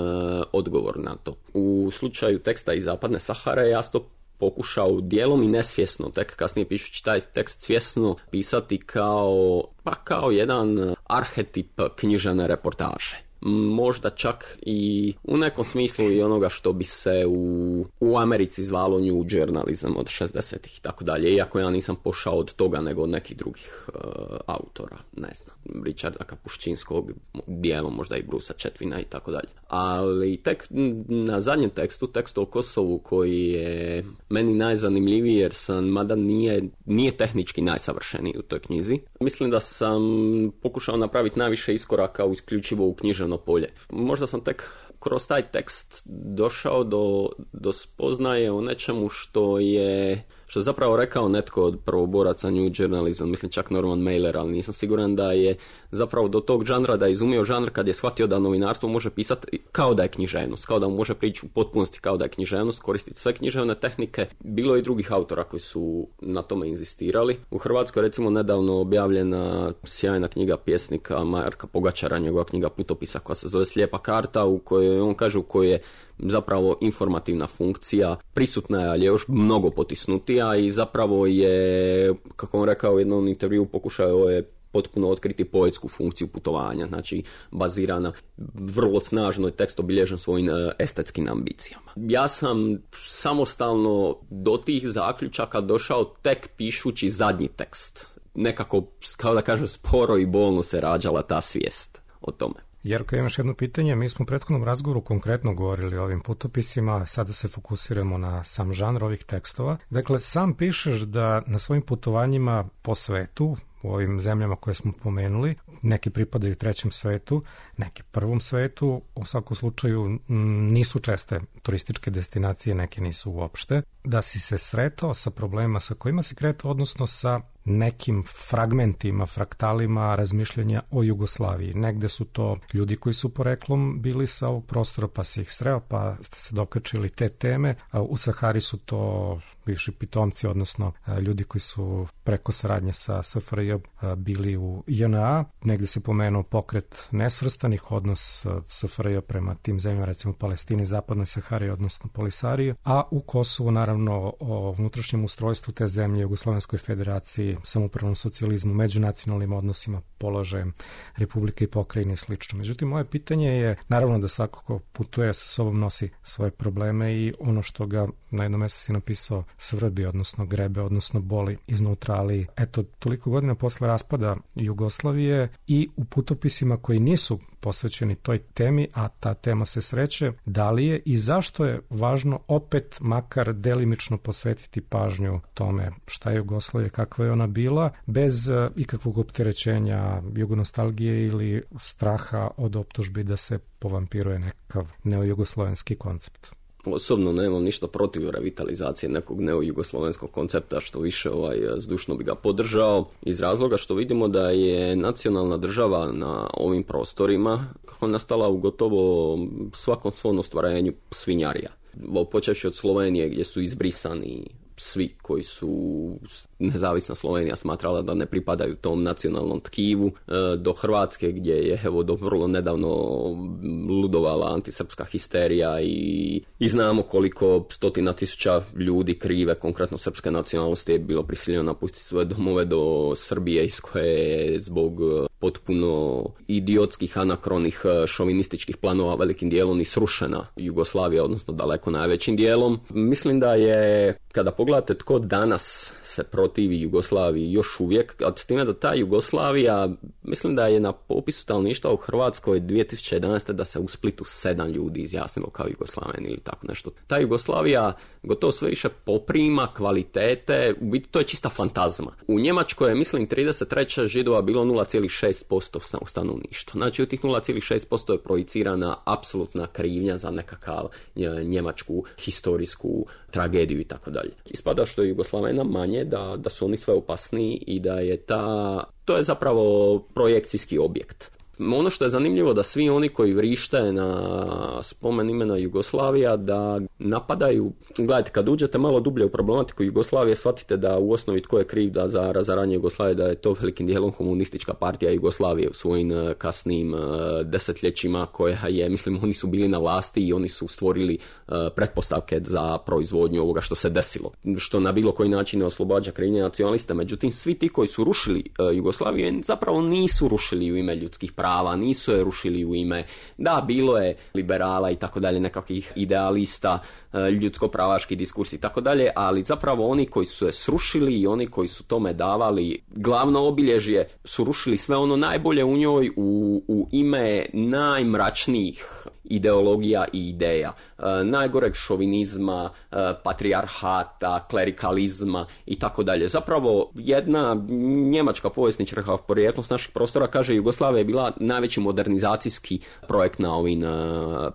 odgovor na to. U slučaju teksta iz Zapadne Sahare ja sam to pokušao dijelom i nesvjesno, tek kasnije pišući taj tekst svjesno, pisati kao jedan arhetip književne reportaže. Možda čak i u nekom smislu i onoga što bi se u Americi zvalo new journalism od 60-ih i tako dalje, iako ja nisam pošao od toga nego od nekih drugih autora, ne znam, Richarda Kapuščinskog, dijelom možda i Brusa Chetwina i tako dalje. Ali tek na zadnjem tekstu o Kosovu, koji je meni najzanimljiviji jer mada nije tehnički najsavršeniji u toj knjizi, mislim da sam pokušao napraviti najviše iskoraka isključivo u književno polje. Možda sam tek kroz taj tekst došao do spoznaje o nečemu što je zapravo rekao netko od prvoboraca New Journalism, mislim čak Norman Mailer, ali nisam siguran da je zapravo do tog žanra, da je izumio žanr kad je shvatio da novinarstvo može pisati kao da je književnost, kao da mu može prići u potpunosti kao da je književnost, koristiti sve književne tehnike. Bilo je i drugih autora koji su na tome inzistirali. U Hrvatskoj recimo nedavno objavljena sjajna knjiga pjesnika Marka Pogačara, njegova knjiga Putopisa koja se zove Slijepa karta, u kojoj on kaže u kojoj je zapravo informativna funkcija prisutna je, ali je još mnogo potisnutija i zapravo je, kako on rekao u jednom intervju, pokušao je potpuno otkriti poetsku funkciju putovanja, znači bazirana vrlo snažno je tekst obilježen svojim estetskim ambicijama. Ja sam samostalno do tih zaključaka došao tek pišući zadnji tekst. nekako, kao da kažem, sporo i bolno se rađala ta svijest o tome. Jerko, imaš jedno pitanje. Mi smo u prethodnom razgovoru konkretno govorili o ovim putopisima, sada se fokusiramo na sam žanr ovih tekstova. Dakle, sam pišeš da na svojim putovanjima po svetu, u ovim zemljama koje smo pomenuli, neki pripadaju trećem svetu, neki prvom svetu, u svakom slučaju nisu česte turističke destinacije, neke nisu uopšte, da si se sretao sa problemima sa kojima si kretao, odnosno sa nekim fragmentima, fraktalima razmišljanja o Jugoslaviji. Negde su to ljudi koji su poreklom bili sa ovog prostora, pa si ih sreo, pa ste se dokačili te teme. U Sahari su to bivši pitomci, odnosno ljudi koji su preko saradnje sa SFRJ bili u JNA. Negde se pomenuo pokret nesvrstanih, odnos SFRJ prema tim zemljama, recimo Palestini, Zapadnoj Sahari, odnosno Polisariju, a u Kosovu naravno o unutrašnjem ustrojstvu te zemlje, Jugoslovenskoj federaciji, samoupravnom socijalizmu, međunacionalnim odnosima, položajem Republike i pokrajine i slično. Međutim, moje pitanje je, naravno da svako ko putuje sa sobom nosi svoje probleme i ono što ga na jednom mjestu si napisao svrbi, odnosno grebe, odnosno boli iznutra, ali eto, toliko godina posle raspada Jugoslavije i u putopisima koji nisu posvećeni toj temi, a ta tema se sreće, da li je i zašto je važno opet makar delimično posvetiti pažnju tome šta je Jugoslavija, kakva je ona bila, bez ikakvog opterećenja jugonostalgije ili straha od optužbi da se povampiruje nekakav neojugoslovenski koncept. Osobno nemam ništa protiv revitalizacije nekog neojugoslovenskog koncepta, što više zdušno bi ga podržao, iz razloga što vidimo da je nacionalna država na ovim prostorima kako je nastala u gotovo svakom svom ostvarenju svinjarija. Počevši od Slovenije gdje su izbrisani svi koji su nezavisna Slovenija smatrala da ne pripadaju tom nacionalnom tkivu, do Hrvatske gdje je do vrlo nedavno ludovala antisrpska histerija i znamo koliko stotina tisuća ljudi krive, konkretno srpske nacionalnosti, je bilo prisiljeno napustiti svoje domove do Srbije, iz koje je zbog potpuno idiotskih, anakronih, šovinističkih planova velikim dijelom i srušena Jugoslavija, odnosno daleko najvećim dijelom. Mislim da je, kada pogledate tko danas se protivi Jugoslaviji još uvijek, a s time da ta Jugoslavija, mislim da je na popisu stanovništva u Hrvatskoj 2011. da se u Splitu 7 ljudi izjasnilo kao Jugoslaveni ili tako nešto. Ta Jugoslavija gotovo sve više poprima kvalitete, u biti to je čista fantazma. U Njemačkoj je, mislim, 33. Židova bilo 0,6% u stanovništvu. Znači u tih 0,6% je projicirana apsolutna krivnja za nekakav njemačku historijsku tragediju i tako dalje. Ispada što je Jugoslavena manje, da su oni sve opasniji i da je to je zapravo projekcijski objekt. Ono što je zanimljivo da svi oni koji vrište na spomen imena Jugoslavija da napadaju, gledajte, kad uđete malo dublje u problematiku Jugoslavije, shvatite da u osnovi tko je kriv da za razaranje Jugoslavije, da je to velikim dijelom komunistička partija Jugoslavije u svojim kasnim desetljećima, koja je, mislim, oni su bili na vlasti i oni su stvorili pretpostavke za proizvodnju ovoga što se desilo, što na bilo koji način ne oslobađa krivnje nacionalista. Međutim, svi ti koji su rušili Jugoslaviju zapravo nisu rušili u ime ljudskih prava, nisu je rušili u ime, da, bilo je liberala i tako dalje, nekakvih idealista, ljudsko-pravaški diskurs i tako dalje, ali zapravo oni koji su je srušili i oni koji su tome davali glavno obilježje su rušili sve ono najbolje u njoj u ime najmračnijih ideologija i ideja, najgoreg šovinizma, patrijarhata, klerikalizma i tako dalje. Zapravo jedna njemačka povjesničarka porijeklo s naših prostora kaže Jugoslavija je bila najveći modernizacijski projekt na ovim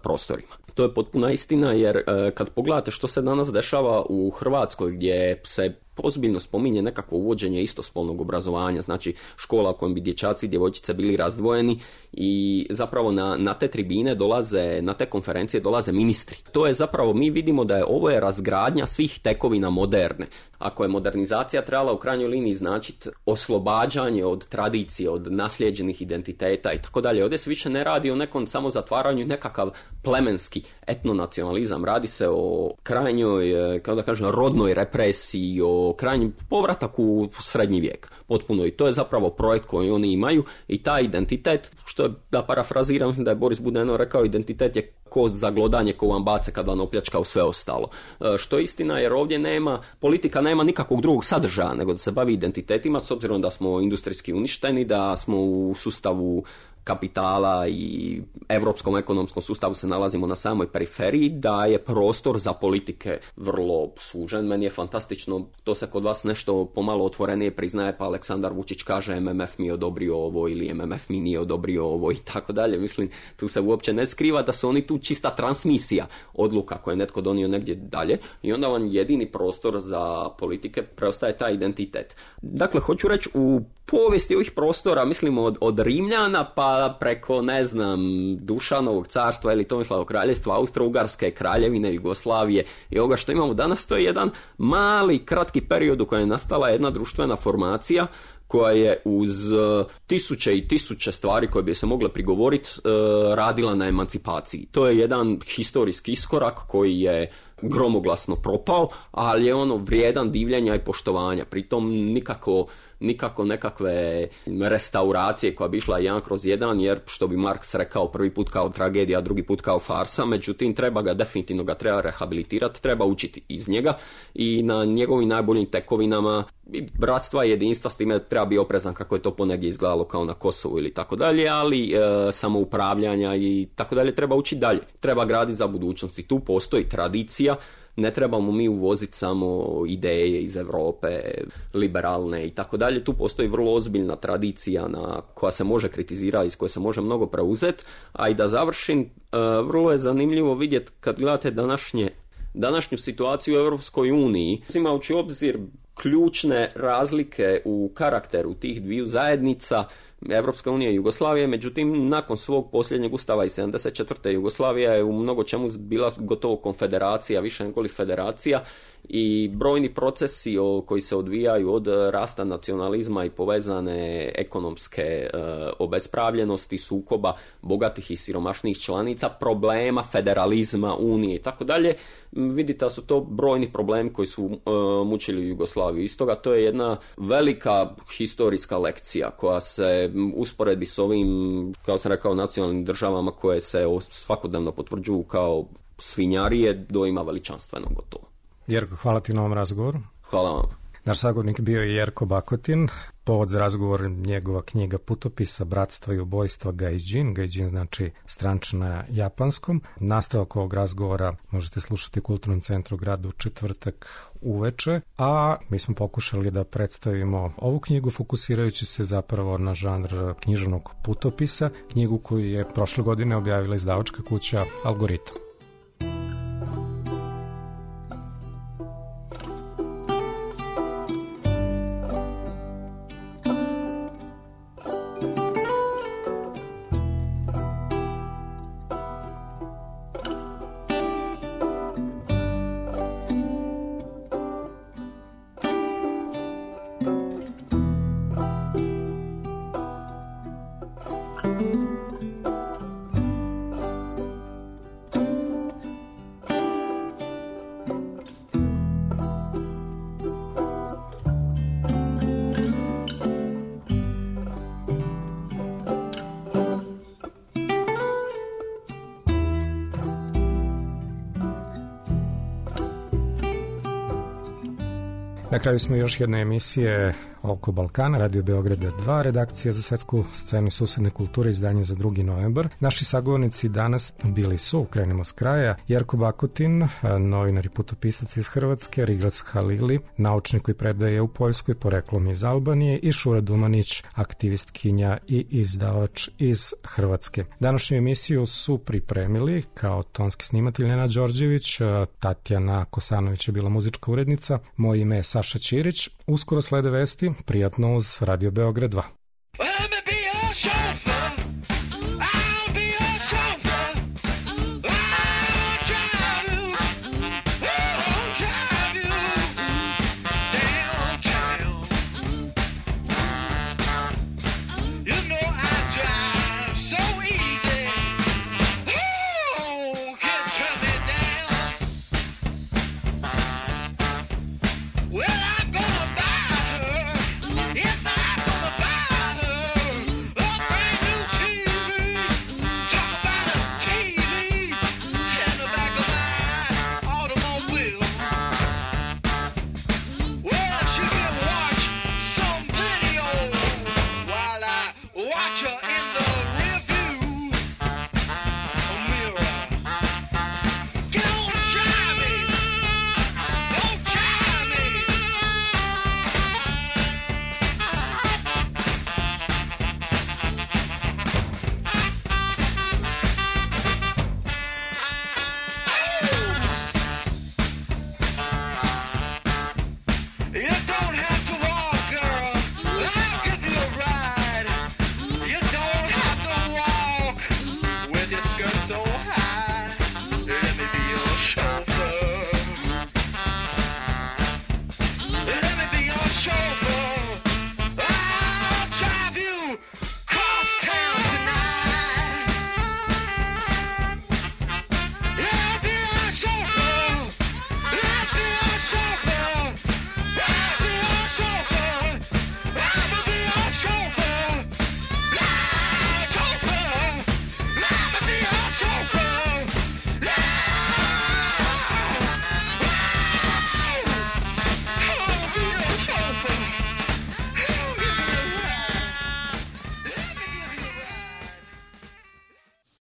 prostorima. To je potpuna istina, jer kad pogledate što se danas dešava u Hrvatskoj, gdje se ozbiljno spominje nekakvo uvođenje istospolnog obrazovanja, znači škola u kojem bi dječaci i djevojčice bili razdvojeni i zapravo na te tribine dolaze, na te konferencije dolaze ministri. To je zapravo, mi vidimo da je ovo je razgradnja svih tekovina moderne. Ako je modernizacija trebala u krajnjoj liniji značiti oslobađanje od tradicije, od naslijeđenih identiteta i tako dalje, ovdje se više ne radi o nekom samo zatvaranju, nekakav plemenski etnonacionalizam. Radi se o krajnjoj, kao da kažem, rodnoj represiji, o krajnji povratak u srednji vijek. Potpuno. I to je zapravo projekt koji oni imaju i taj identitet, što je, da parafraziram, mislim da je Boris Budeno rekao, identitet je kost za glodanje ko vam bace kad vam opljačkao sve ostalo. Što je istina, jer ovdje politika nema nikakvog drugog sadržaja nego da se bavi identitetima, s obzirom da smo industrijski uništeni, da smo u sustavu kapitala i europskom ekonomskom sustavu se nalazimo na samoj periferiji, da je prostor za politike vrlo sužen. Meni je fantastično, to se kod vas nešto pomalo otvorenije priznaje, pa Aleksandar Vučić kaže MMF mi je odobrio ovo ili MMF mi nije odobrio ovo i tako dalje. Mislim, tu se uopće ne skriva da su oni tu čista transmisija odluka koje je netko donio negdje dalje i onda vam jedini prostor za politike preostaje taj identitet. Dakle, hoću reći, u povijesti ovih prostora, mislim od Rimljana pa preko, ne znam, Dušanovog carstva ili Tomislavog kraljevstva, Austro-Ugarske, Kraljevine, Jugoslavije i ovoga što imamo danas, to je jedan mali, kratki period u kojem je nastala jedna društvena formacija koja je uz tisuće i tisuće stvari koje bi se mogle prigovoriti radila na emancipaciji. To je jedan historijski iskorak koji je gromoglasno propao, ali je ono vrijedan divljenja i poštovanja. Pritom nikako nekakve restauracije koja bi išla 1/1, jer što bi Marx rekao, prvi put kao tragedija, drugi put kao farsa, međutim definitivno ga treba rehabilitirati, treba učiti iz njega i na njegovim najboljim tekovinama bratstva i jedinstva, s time treba biti oprezan kako je to ponegdje izgledalo kao na Kosovu ili tako dalje, ali samoupravljanja i tako dalje treba učiti dalje. Treba graditi za budućnost i tu postoji tradicija. Ne trebamo mi uvoziti samo ideje iz Europe, liberalne i tako dalje. Tu postoji vrlo ozbiljna tradicija koja se može kritizirati, iz koje se može mnogo preuzeti. A i da završim, vrlo je zanimljivo vidjeti kad gledate današnju situaciju u Europskoj uniji, uzimajući u obzir ključne razlike u karakteru tih dviju zajednica, Evropska unija i Jugoslavija, međutim nakon svog posljednjeg ustava iz 74. Jugoslavija je u mnogo čemu bila gotovo konfederacija, više nego li federacija, i brojni procesi koji se odvijaju od rasta nacionalizma i povezane ekonomske obespravljenosti, sukoba bogatih i siromašnih članica, problema federalizma, unije i tako dalje, vidite da su to brojni problemi koji su mučili Jugoslaviju. I stoga to je jedna velika historijska lekcija koja se usporedbi s ovim, kao sam rekao, nacionalnim državama koje se svakodnevno potvrđuju kao svinjarije, doima veličanstveno gotovo. Jerko, hvala ti na ovom razgovoru. Hvala vam. Naš sagovornik bio je Jerko Bakotin. Povod za razgovor njegova knjiga Putopisa, bratstva i ubojstva Gaijin. Gaijin znači stranče na japanskom. Nastavak ovog razgovora možete slušati u Kulturnom centru grada u četvrtak uveče, a mi smo pokušali da predstavimo ovu knjigu fokusirajući se zapravo na žanr književnog putopisa, knjigu koju je prošle godine objavila izdavačka kuća Algoritam. Na kraju smo još jedne emisije Oko Balkana, Radio Beograda 2, redakcija za svetsku scenu i susedne kulture, izdanje za 2. novembar. Naši sagovornici danas bili su, krenemo s kraja, Jerko Bakotin, novinar i putopisac iz Hrvatske, Riglas Halili, naučnik koji predaje u Poljskoj, poreklom iz Albanije, i Šura Dumanić, aktivistkinja i izdavač iz Hrvatske. Današnju emisiju su pripremili kao tonski snimatelj Nenad Đorđević, Tatjana Kosanović je bila muzička urednica, moje ime je Saša Ćirić. Uskoro slede vesti, prijatno uz Radio Beograd 2.